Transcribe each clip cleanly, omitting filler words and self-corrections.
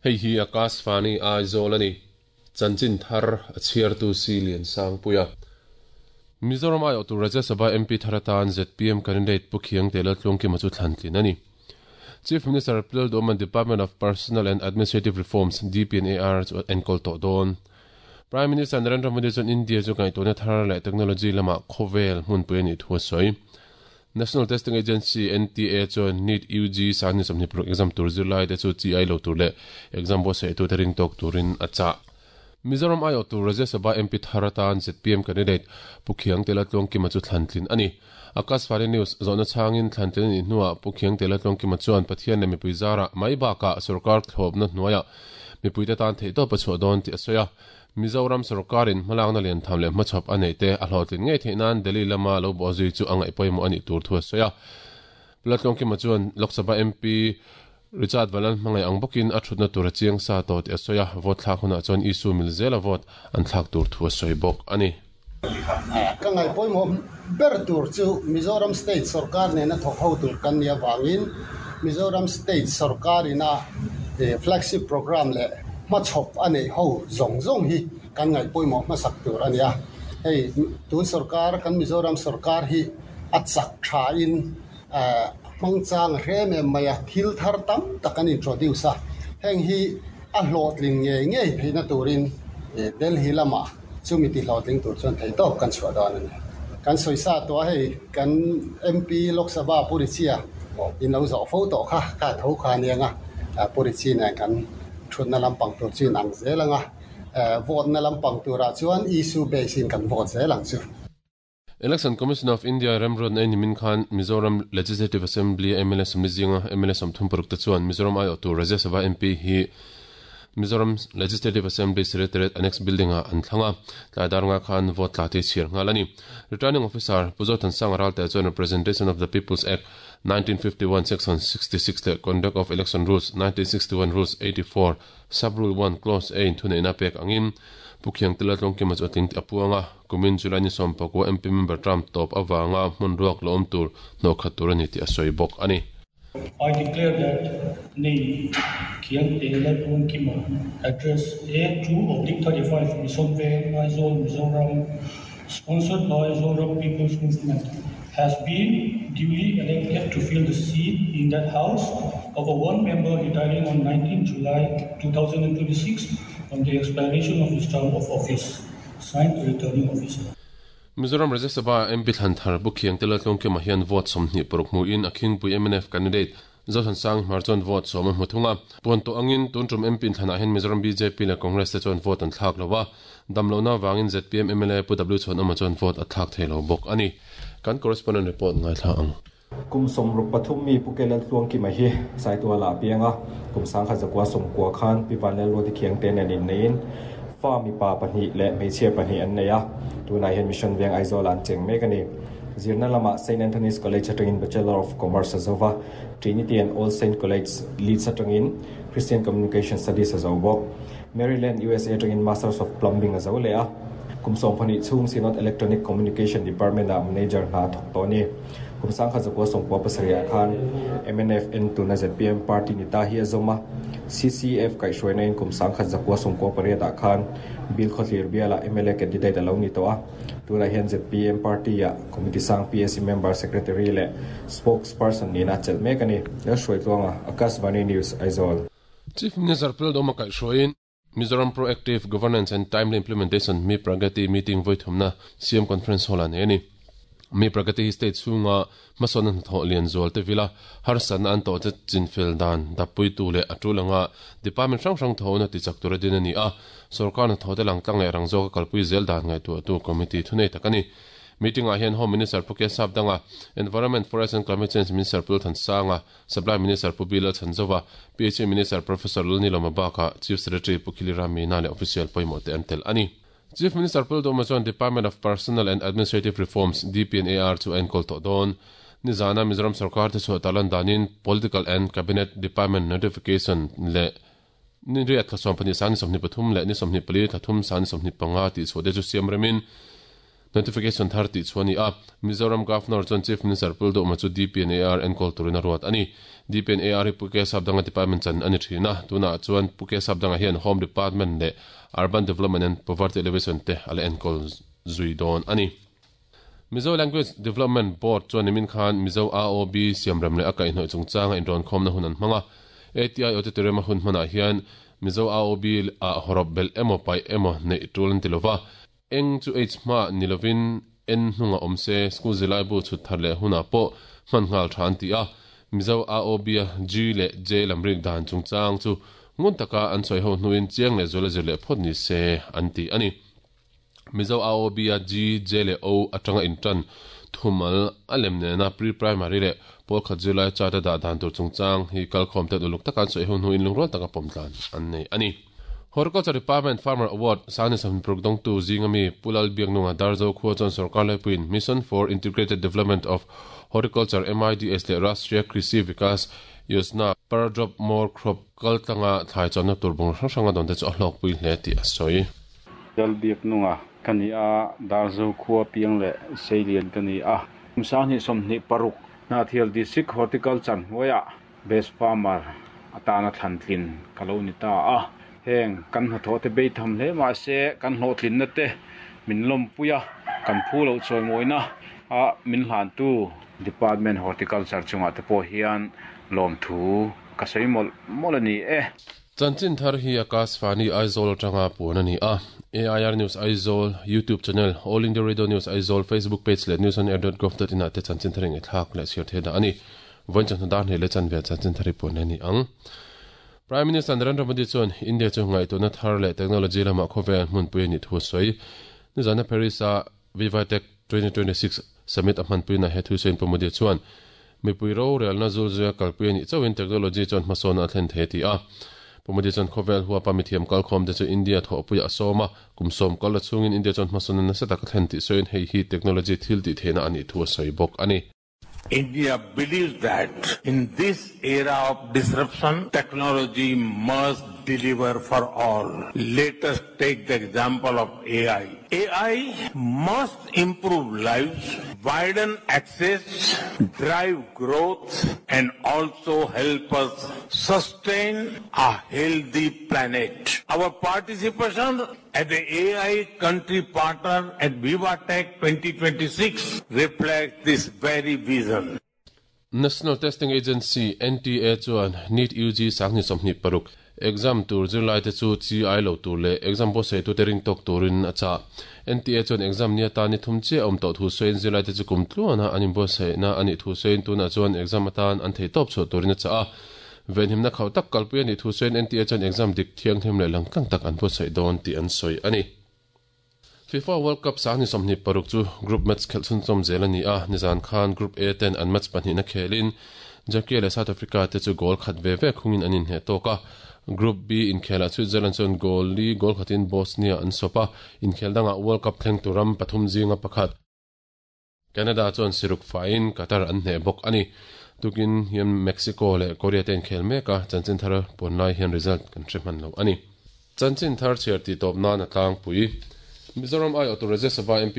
Hei hi Akashvani Aizawl a ni. Chanchin thar a chhiartu si Liansangpuia. Mizoram aiawhtu Rajya Sabha MP thar atan zpm candidate Pu Khiangte Laltluangkima chu thlan tlin a ni. Chief Minister Pu Lalduhawma'n Department of Personnel and Administrative Reforms, DPNAR, chu a enkawl tawh dawn. Prime Minister Narendra Modi chuan India chu ngaihtuahna thar leh technology lamah khawvel hmunpui a nih thu a sawi. National Testing Agency, NTA, chuan NEET UG sangni 26 exam tur zirlaite chu chi ai lo tur leh exam buatsaih tute ring tawk turin a chah. Mizoram aiawh tur Rajya Sabha MP thar atan zpm candidate Pu Khiangte Laltluangkima chu thlan tlin a ni. Akashvani News zawhna chhangin thlan tlin a nih hnuah Pu Khiangte Laltluangkima chuan Pathian leh mipui zarah mai bakah sorkar thlawpna hnuaiah mipuite tan theihtawp a chhuah dawn tih a sawi a. Mizoram sorkarin hmalakna liantham leh hmachhawp a neih te a hlawhtlin ngei theih nan Delhi lama lo bawh zui chu a ngaih pawimawh a nih tur thu a sawi a. Pu Laltluangkima chuan Lok Sabha MP Richard Valan hmangaih ang bawkin a thutna tur a chiang sa tawh tih a sawi a, vote thlak hunah chuan issue mil zela vote an thlak tur thu a sawi bawk a ni. Ka ngaih pawimawh ber tur chu Mizoram State sorkar nena thawk ho tur kan nih avangin Mizoram State sorkarina flagship programme leh hmachhawp a neih ho zawng zawng hi kan ngaih pawimawh hmasak tur a ni a. Hei tun sorkar kan Mizoram sorkar hi a chak thain hmangchang a hrem em mai a, thil thar tam tak an introduce a, heng hi a hlawhtling ngei ngei theihna turin Delhi lamah chumi ti hlawhtling tur chuan theihtawp kan chhuah dawn a ni. Kan sawi sa tawh a, hei kan MP Lok Sabha Pu Richie in lo zawh fo tawh kha, kha tho kha a nia nga, Pu Richie nen kan thutna lampang tur chu in ang zel ang a, vote na lampang turah chuan issue base in kan vote zel ang chu. Election Commission of India remruatna ei nimin khan Mizoram Legislative Assembly a mla sawmli zinga mla 36 te chuan Mizoram aiawhtu Rajya Sabha MP hi Mizoram Legislative Assembly Secretariat Annex Building ah an thlang a, tlai dar nga khan vote tla te chhiar nghal a ni. Returning Officer Pu Zothansanga Ralte chuan Representation of the People's Act, 1951 Section 66 leh Conduct of Election Rules, 1961 Rules 84, Sub-Rule 1 Clause A in thuneihna pek angin Pu Khiangtela Tlawngkima chu a tling tih a puang a, kumin July ni 11 MP member term tawp avanga hmun ruak la awm tur hnawh khat tur a ni tih a sawi bawk a ni. I declare that name Khiangtela Tlawngkima, address A2/35 Mission Veng, Aizawl, Mizoram, sponsored by Zoram People's Movement, has been duly elected to fill the seat in that house of a one member retiring on 19 July 2026 on the expiration of his term of office. Signed, Returning Officer. Mizoram Rajya Sabha MP thlan thar Pu Khiangte Laltlawngkima hian vote 26 hmuin a khingpui mnf candidate Zothansang Hmar chuan vote 10 a hmu thung a. Puan tawh angin tun tum MP inthlanah hian Mizoram bjp leh Congress te chuan vote an thlak lo a, dam lohna avangin zpm mla Pu W Chhuanawma chuan vote a thlak thei lo bawk a ni. Kan correspondent report ngaithla ang. Kum 63 mi Pu Kelal Tluangkima hi Saituala a piang a, kum 1990 khan Pi Vanlalruati Khiangte nen inneiin fa mipa pahnih leh hmeichhia pahnih an nei a, tunah hian Mission Veng Aizawlah an cheng mek a ni. Zirna lamah Saint Anthony's College atangin Bachelor of Commerce a zo va, Trinity and All Saint College, Leeds atangin Christian Communication Studies a zo bawk. Maryland, USA atangin Masters of Plumbing a zo leh a. Kum 12 chhung Synod Electronic Communication Department-ah manager hna a thawk tawh a ni. Kum 1997 ah khan mnf en tuna zpm party ni ta hi a zawm a. CCF kaihhruaina in kum 1998 ah khan Bill Khawthlir bialah mla candidate a lo ni tawh a. Tunah hian zpm party-ah Committee sang PAC member secretary leh spokesperson nihna a chelh mek a ni. Lalhruaitluanga, Akashvani News, Aizawl. Chief Minister Pu Lalduhoma kaihhruaiin Mizoram Proactive Governance and Timely Implementation, Mi Pragati, meeting vawi thumna CM Conference Hall-ah nei a ni. Mi Pragati hi state chhunga hmasawnna hnathawh lian zual te vila harsatna an tawh te chinfel dan dappuitu leh a tul anga department hrang hrang thawhna tichak tura din a ni a, sorkar hnathawh te langtlang leh rang zawka kalpui zel dan ngaihtuahtu committee thunei tak a ni. Meeting-ah hian Home Minister Pu Kesap Danga, Environment, Forest and Climate Change Minister Pu Lalthansanga, Supply Minister Pu Bilal Chhanzova, PHE Minister Professor Lalnilawma bakah Chief Secretary Pu Khilira Meena leh official pawimawh te an tel a ni. Chief Minister Pu Lalduhoma chuan Department of Personnel and Administrative Reforms, DPNAR, chu a enkawl tawh dawn. Nizana Mizoram sorkar te chhuah tarlan danin Political and Cabinet Department Notification leh ni riat thla 12 sang ni 23 leh ni 24 thla thum sang ni 25 tih chhuah te chu siam remin Notification thar tih chhuah a ni a, Mizoram Governor chuan Chief Minister Pu Duhma chu DPNAR enkawl turin a ruat a ni. DPNAR hi Pu K Sapdanga Department chan a ni thin a, tunah chuan Pu K Sapdanga hian Home Department leh Urban Development and Poverty Alleviation te a la enkawl zui dawn a ni. Mizo Language Development Board chuan nimin khan Mizo AOB siamrem leh a kaihhnawih chungchanga inrawnkhawmna hun an hmang a. ATI Auditorium a hun hmanah hian Mizo AOB ah hawrawp belh emaw paih emaw neih tul an ti lova. Eng chu H hma ni lovin N hnungah awm se, school zirlaibu chhut thar leh hunah pawh hman nghal tha an ti a. Mizo AOB a G leh J lamrik dan chungchang chu ngun taka an sawi ho hnuin chiang leh zuala zir leh phawt ni se an ti a ni. Mizo AOB a G, J leh O atanga intan thumal a lem nena pre-primary leh pawl khat zirlai chart a dah dan tur chungchang hi kalkhawm ten uluk taka an sawi ho hnuin lungrual taka pawm tlan an nei a ni. Horticulture Department Farmer Award Sangni Sawmhnih dawngtu zinga mi Pu Lal Biaknunga Darzo khua chuan sorkar laipuiin Mission for Integrated Development of Horticulture, MIDH, leh Rashtriya Krishi Vikas Yojana Per Drop More Crop kal tlanga thlai chuanna tur bungraw hrang hrang a dawn te chu a hlawkpui hle tih a sawi. Lal Biaknunga ka ni a, Darzo khua piang leh Seilian ka ni a. Kum 2026 Hnahthial District Horticulture hnuaiah Best Farmer atana thlantlin ka lo ni ta a, heng kan hnathawh te bei tham hle mah se kan hlawhtlinna te min lawmpui a, kan phu loh chawimawina a min hlantu Department Horticulture chungah te pawh hian lawmthu ka sawi mawlh mawlh a ni e. Chanchin thar hi Akashvani Aizawl atanga puan a ni a, AIR News Aizawl YouTube channel, All India Radio News Aizawl Facebook page leh newsonair.gov.in ah te chanchin thar engthlak leh chhiar theih dah a ni. Vawiin chawhnu dar hnih leh chanve chanchin thar hi puan a ni ang. Prime Minister Narendra Modi chuan India chu ngaihtuahna thar leh technology lamah khawvel hmunpui a nih thu a sawi. Nizana Paris-a VivaTech 2026 Summit a hmanpuina he thusawiin Pu Modi chuan mipui rorelna zulzuia kalpui a nih chauhin technology chuan hmasawnna a thlen thei a ti a. Pu Modi chuan khawvel huapa mithiam kalkhawm te chu India thawhpuiah a sawm a, kum sawm kal la chhungin India chuan hmasawnna nasa tak a thlen tih sawiin hei hi technology thil tih theihna a nih thu a sawi bawk a ni. India believes that in this era of disruption, technology must deliver for all. Let us take the example of AI. AI must improve lives, widen access, drive growth, and also help us sustain a healthy planet. Our participation as the AI country partner at VivaTech 2026 reflects this very vision. National Testing Agency, NTA, chuan NEET UG 2026 exam tur zirlaite chu chi ai lo tur leh exam buatsaitute ring tawk turin a chah. NTA chuan exam ni atan ni thum chiah a awm tawh thu sawiin zirlaite chu kum tluana an inbuatsaihna a nih thu sawiin tunah chuan exam atan an theihtawp chhuah turin a chah a. Venhimna khauh tak kalpui a nih thu sawiin NTA chuan exam dik thianghlim leh langtlang tak an buatsaih dawn tih an sawi a ni. FIFA World Cup 2026 chu group match khelh chhunchawm zel a ni a, nizan khan Group A ten an match pahnihna khelin Turkey leh South Africa te chu goal khat ve ve khungin an inhneh tawk a. Group B inkhelah Switzerland chuan goal li goal khatin Bosnia an sawp a, inkhel dangah World Cup thleng tur ram pathum zinga pakhat, Canada chuan siruk faiin Qatar an hneh bawk a ni. Tukin hian Mexico leh Korea te inkhel mek a, chanchin thar puan lai hian result kan hre hman lo a ni. Chanchin thar chhiar tih tawp nan a tlangpui. Mizoram aiawhtu Rajya Sabha MP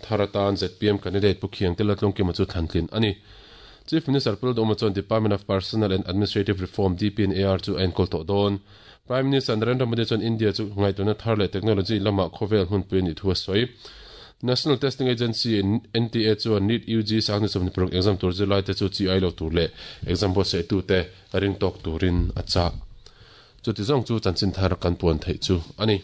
thar atan zpm candidate Pu Khiangte Laltlungkima chu thlantlin a ni. Chief Minister Pu Lalduhoma chuan Department of Personnel and Administrative Reform, DPNAR, chu a enkawl tawh dawn. Prime Minister Narendra Modi chuan India chu ngaihtuahna thar leh technology lamah khawvel hmunpui a nih thu a sawi. National Testing Agency, NTA, chuan NEET UG 2026 exam tur zirlaite chu chi ai lo tur leh exam buatsaih-tute ring tawk turin a chah. Chuti zawng chu chanchin thar kan puan theih chu a ni.